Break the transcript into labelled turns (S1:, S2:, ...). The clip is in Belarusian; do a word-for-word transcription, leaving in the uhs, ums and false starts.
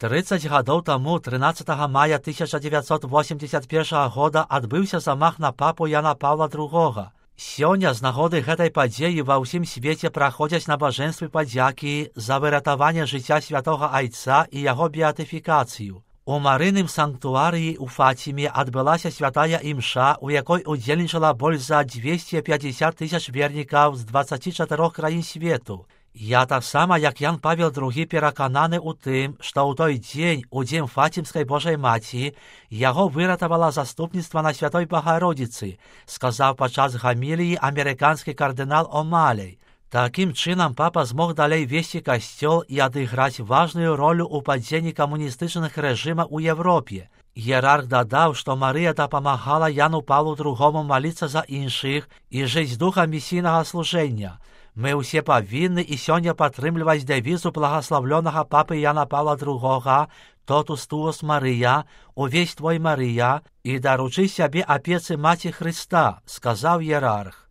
S1: трыццаць гадоў таму трынаццатага мая тысяча дзевяцьсот восемьдесят першага года адбыўся замах на папу Яна Паўла другога. Сёння з нагоды гэтай падзеі ва ўсім свеце праходзяць набажэнствы падзякі за выратаванне жыцця святога айца і яго беатыфікацыю. У марыным санктуарыі ў Фаціме адбылася святая імша, у якой удзельнічала больш за двести пятьдесят тысяч вернікаў з дваццаці чатырох краін свету. Я таксама, як Ян Павел другі, перакананы ў тым, што ў той дзень, у дзень Фацімскай Божай Маці, яго выратавала заступніцтва на Святой Багародзіцы, сказаў падчас гаміліі амерыканскі кардынал О'Малей. Такім чынам папа змог далей весці касцёл і адыграць важную ролю ў падзенні камуністычных рэжымаў у Европе. Іерарх дадаў, што Марыя дапамагала Яну Паўлу другому маліцца за іншых і жыць духам місійнага служэння. Мы ўсе павінны і сёння падтрымліваць дэвізу благаславлёнага папы Яна Паўла другога «Тотус туос Марыя», «Увесь твой Марыя» і даручы сябе апецы Маці Хрыста, сказаў іерарх.